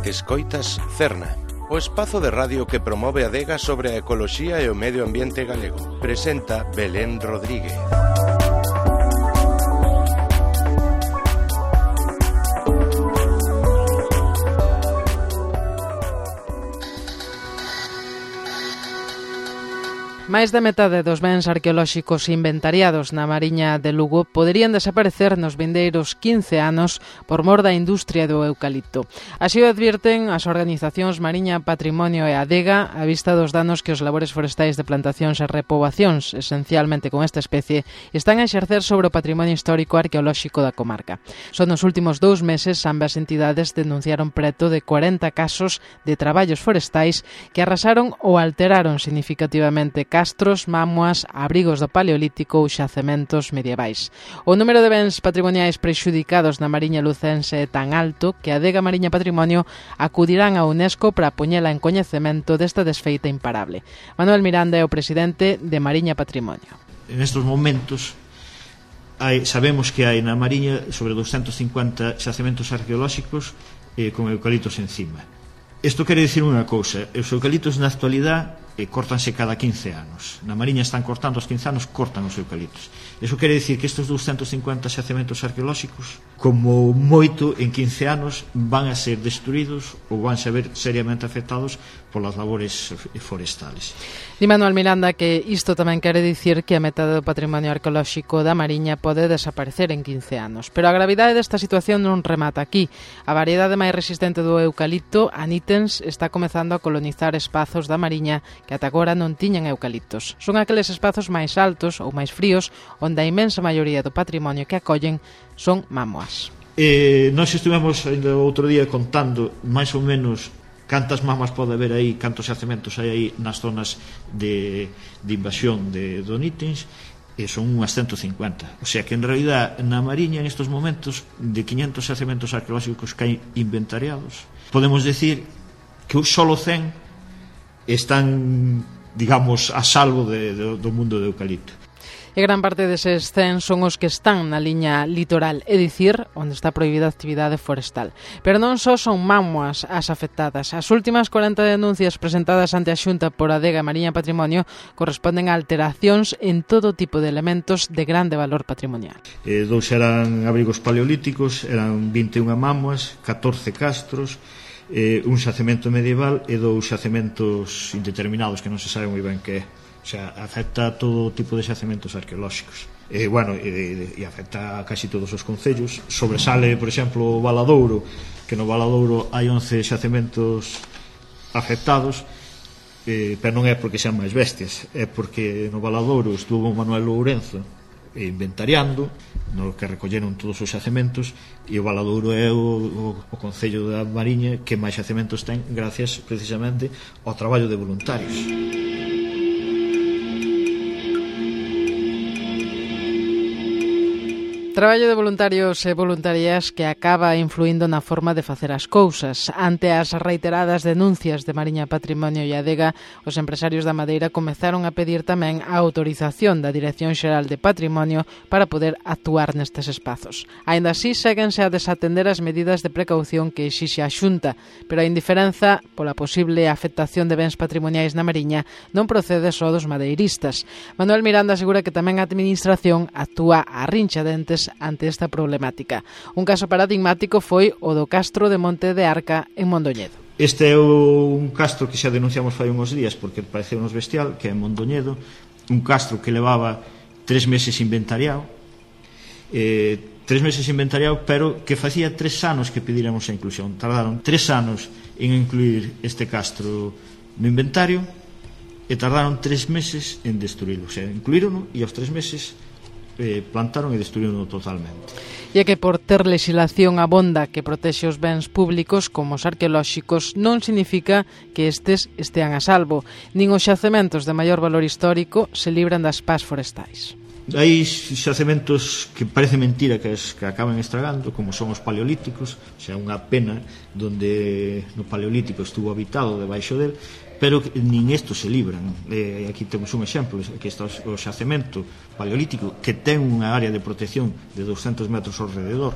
Escoitas Cerna, o espazo de radio que promove a adega sobre a ecoloxía e o medio ambiente galego. Presenta Belén Rodríguez. Máis da metade dos bens arqueolóxicos inventariados na Mariña de Lugo poderían desaparecer nos vindeiros 15 anos por mor da industria do eucalipto. Así o advirten as organizacións Mariña, Patrimonio e Adega a vista dos danos que os labores forestais de plantacións e repoboacións, esencialmente con esta especie, están a exercer sobre o patrimonio histórico arqueolóxico da comarca. Só nos últimos 2 meses ambas entidades denunciaron preto de 40 casos de traballos forestais que arrasaron ou alteraron significativamente castros, mamuas, abrigos do Paleolítico ou xacementos medievais. O número de bens patrimoniais prexudicados na Mariña lucense é tan alto que a Adega Mariña Patrimonio acudirán a UNESCO para poñela en coñecemento desta desfeita imparable. Manuel Miranda é o presidente de Mariña Patrimonio. En estes momentos sabemos que hai na Mariña sobre 250 xacementos arqueolóxicos con eucaliptos encima. Isto quere dicir unha cousa: os eucaliptos na actualidade córtanse cada 15 anos. Na Mariña están cortando aos 15 anos, cortan os eucaliptos. Iso quere dicir que estes 250 xacementos arqueolóxicos, como moito en 15 anos, van a ser destruídos ou van a ver seriamente afectados polas labores forestales. Di Manuel Miranda que isto tamén quere dicir que a metade do patrimonio arqueolóxico da Mariña pode desaparecer en 15 anos. Pero a gravidade desta situación non remata aquí. A variedade máis resistente do eucalipto, a nítens, está comezando a colonizar espazos da Mariña que ata agora non tiñan eucaliptos. Son aqueles espazos máis altos ou máis fríos onde a inmensa maioría do patrimonio que acollen son mamuas. Nós estivemos ainda outro día contando máis ou menos cantas mamas pode haber aí, cantos xacementos hai aí nas zonas de invasión do nítens, e son unhas 150. O sea que en realidad na Mariña en estos momentos de 500 xacementos arqueolóxicos que hai inventariados, podemos decir que solo 100 están, digamos, a salvo do mundo do eucalipto. E gran parte deses 100 son os que están na liña litoral, é dicir, onde está prohibida a actividade forestal. Pero non só son mamuas as afectadas. As últimas 40 denuncias presentadas ante a Xunta por Adega Mariña Patrimonio corresponden a alteracións en todo tipo de elementos de grande valor patrimonial. 2 eran abrigos paleolíticos, eran 21 mamuas, 14 castros, un xacemento medieval e 2 xacementos indeterminados que non se sabe moi ben que é. O sea, afecta a todo tipo de xacementos arqueolóxicos. E afecta a casi todos os concellos. Sobresale, por exemplo, o Valadouro, que no Valadouro hai 11 xacementos afectados, pero non é porque sean máis bestias, é porque no Valadouro estuvo Manuel Lourenzo inventariando, no que recolleron todos os xacementos, e o Valadouro é o concello da Mariña que máis xacementos ten gracias precisamente ao traballo de voluntarios. Traballo de voluntarios e voluntarias que acaba influindo na forma de facer as cousas. Ante as reiteradas denuncias de Mariña Patrimonio e Adega, os empresarios da madeira comezaron a pedir tamén a autorización da Dirección Xeral de Patrimonio para poder actuar nestes espazos. Aínda así, séguense a desatender as medidas de precaución que exixe a Xunta, pero a indiferenza pola posible afectación de bens patrimoniais na Mariña non procede só dos madeiristas. Manuel Miranda asegura que tamén a Administración actúa a rinchadentes ante esta problemática. Un caso paradigmático foi o do Castro de Monte de Arca en Mondoñedo. Este é un castro que xa denunciamos fai uns días porque pareceu-nos bestial, que é en Mondoñedo, un castro que levaba 3 meses inventariado, 3 meses inventariado, pero que facía 3 anos que pedíramos a inclusión. Tardaron 3 anos en incluir este castro no inventario e tardaron 3 meses en destruílo. O sea, incluírono e aos 3 meses plantaron e destruíron totalmente. E é que por ter legislación abonda que protexe os bens públicos como os arqueolóxicos non significa que estes estean a salvo, nin os xacementos de maior valor histórico se libran das pás forestais. Hai xacementos que parece mentira que acaban estragando, como son os paleolíticos, o sea, unha pena donde no paleolítico estuvo habitado debaixo del, pero nin isto se libran. Aquí temos un exemplo, que está o xacemento paleolítico, que ten unha área de protección de 200 metros ao rededor,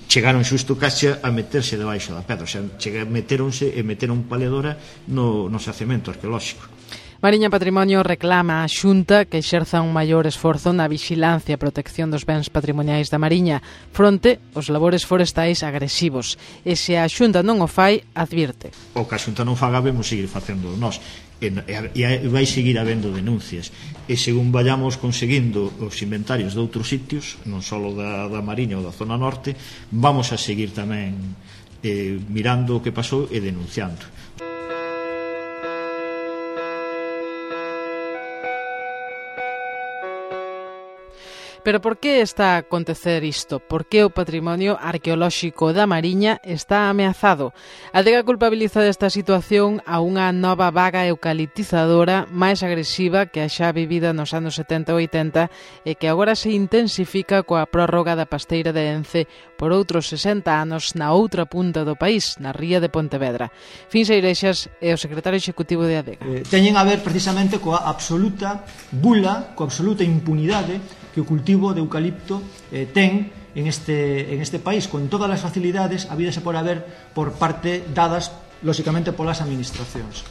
chegaron xusto caixa a meterse debaixo da pedra, o sea, meteronse e meteron paledora no xacemento arqueolóxico. Mariña Patrimonio reclama á Xunta que exerza un maior esforzo na vixilancia e protección dos bens patrimoniais da Mariña fronte aos labores forestais agresivos. E se a Xunta non o fai, advirte. O que a Xunta non faga, vemos seguir facendo nós. E vai seguir habendo denuncias. E según vayamos conseguindo os inventarios de outros sitios, non só da Mariña ou da zona norte, vamos a seguir tamén mirando o que pasou e denunciando. Pero por que está a acontecer isto? Por que o patrimonio arqueolóxico da Mariña está ameazado? A Adega culpabiliza desta situación a unha nova vaga eucaliptizadora máis agresiva que a xa vivida nos anos 70 e 80 e que agora se intensifica coa prórroga da pasteira de Ence por outros 60 anos na outra punta do país, na ría de Pontevedra. Fins Eirexas é o secretario executivo de Adega. Teñen a ver precisamente coa absoluta bula, coa absoluta impunidade que o cultivo de eucalipto ten en este país, con todas as facilidades habidas e por haber por parte dadas, lóxicamente, polas administracións.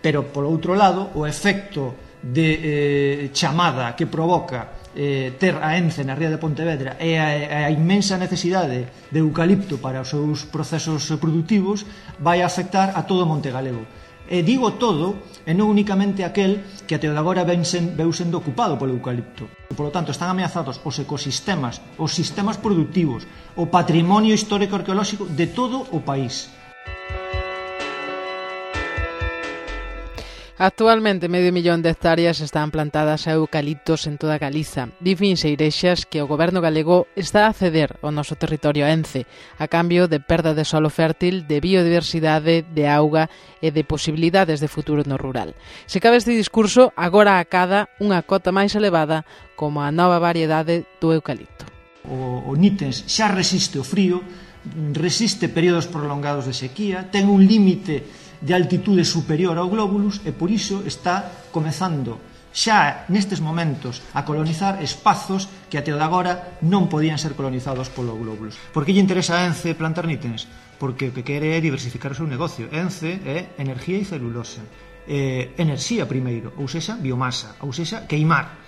Pero, polo outro lado, o efecto de chamada que provoca ter a Ence na ría de Pontevedra e a inmensa necesidade de eucalipto para os seus procesos productivos vai afectar a todo Monte Galego. E digo todo, e non únicamente aquel que até agora veu sendo ocupado polo eucalipto. E, polo tanto, están ameazados os ecosistemas, os sistemas productivos, o patrimonio histórico arqueolóxico de todo o país. Actualmente, 500.000 de hectáreas están plantadas a eucaliptos en toda Galiza. Di Fins Eirexas que o goberno galego está a ceder ao noso territorio Ence a cambio de perda de solo fértil, de biodiversidade, de auga e de posibilidades de futuro no rural. Se cabe este discurso, agora acada unha cota máis elevada como a nova variedade do eucalipto. O nítens xa resiste o frío, resiste períodos prolongados de sequía, ten un límite de altitude superior ao glóbulos e por iso está comezando xa nestes momentos a colonizar espazos que até o de agora non podían ser colonizados polo glóbulos. Por que lle interesa a Ence plantar nítens? Porque o que quere é diversificar o seu negocio. Ence é enerxía e celulosa, enerxía primeiro, ou sexa, biomasa, ou sexa, queimar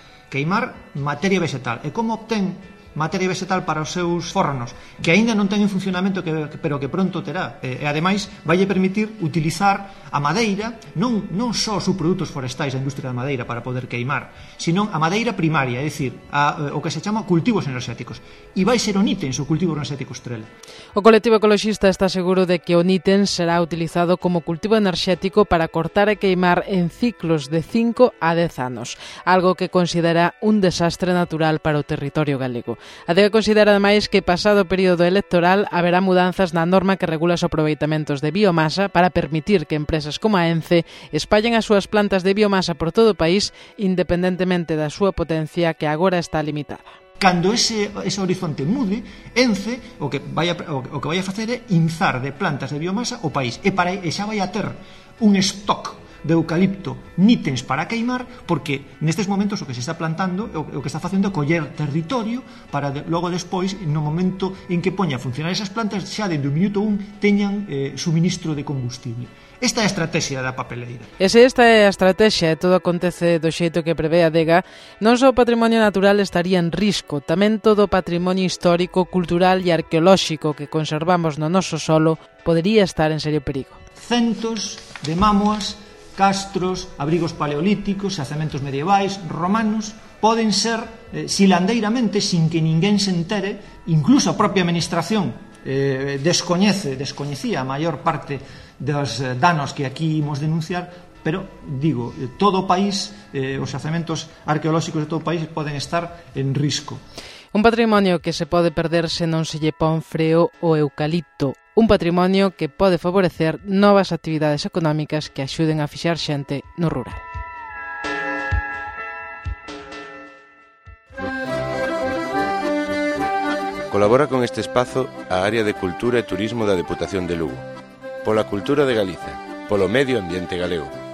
materia vegetal. E como obtén materia vegetal para os seus fornos, que aínda non ten en funcionamento, pero que pronto terá. E ademais vai permitir utilizar a madeira, non só os subprodutos forestais da industria da madeira para poder queimar, sino a madeira primaria, é dicir, o que se chama cultivos enerxéticos. E vai ser o nítens o cultivo enerxético estrela. O colectivo ecologista está seguro de que o nítens será utilizado como cultivo enerxético para cortar e queimar en ciclos de 5 a 10 anos, algo que considera un desastre natural para o territorio galego. A Adega considera ademais que pasado o período electoral haberá mudanzas na norma que regula os aproveitamentos de biomasa para permitir que empresas como a Ence espallen as súas plantas de biomasa por todo o país independentemente da súa potencia que agora está limitada. Cando ese horizonte mude, Ence o que vai a facer é inzar de plantas de biomasa o país e xa vai a ter un stock de eucalipto nítens para queimar, porque nestes momentos o que se está plantando, o que está facendo é coller territorio para logo despois, no momento en que poña a funcionar esas plantas, xa dende o minuto 1 teñan suministro de combustible. Esta é a estrategia da papeleira. E se esta é a estrategia e todo acontece do xeito que prevé a Adega, non só o patrimonio natural estaría en risco, tamén todo o patrimonio histórico, cultural e arqueolóxico que conservamos no noso solo podería estar en serio perigo. Centos de mámoas, castros, abrigos paleolíticos, xacementos medievais, romanos, poden ser silandeiramente, sin que ninguén se entere, incluso a propia administración descoñecía a maior parte dos danos que aquí imos denunciar, pero, digo, todo o país, os xacementos arqueolóxicos de todo o país poden estar en risco. Un patrimonio que se pode perder se non se lle pon freo o eucalipto. Un patrimonio que pode favorecer novas actividades económicas que axuden a fixar xente no rural. Colabora con este espazo a Área de Cultura e Turismo da Deputación de Lugo. Pola cultura de Galiza, polo medio ambiente galego.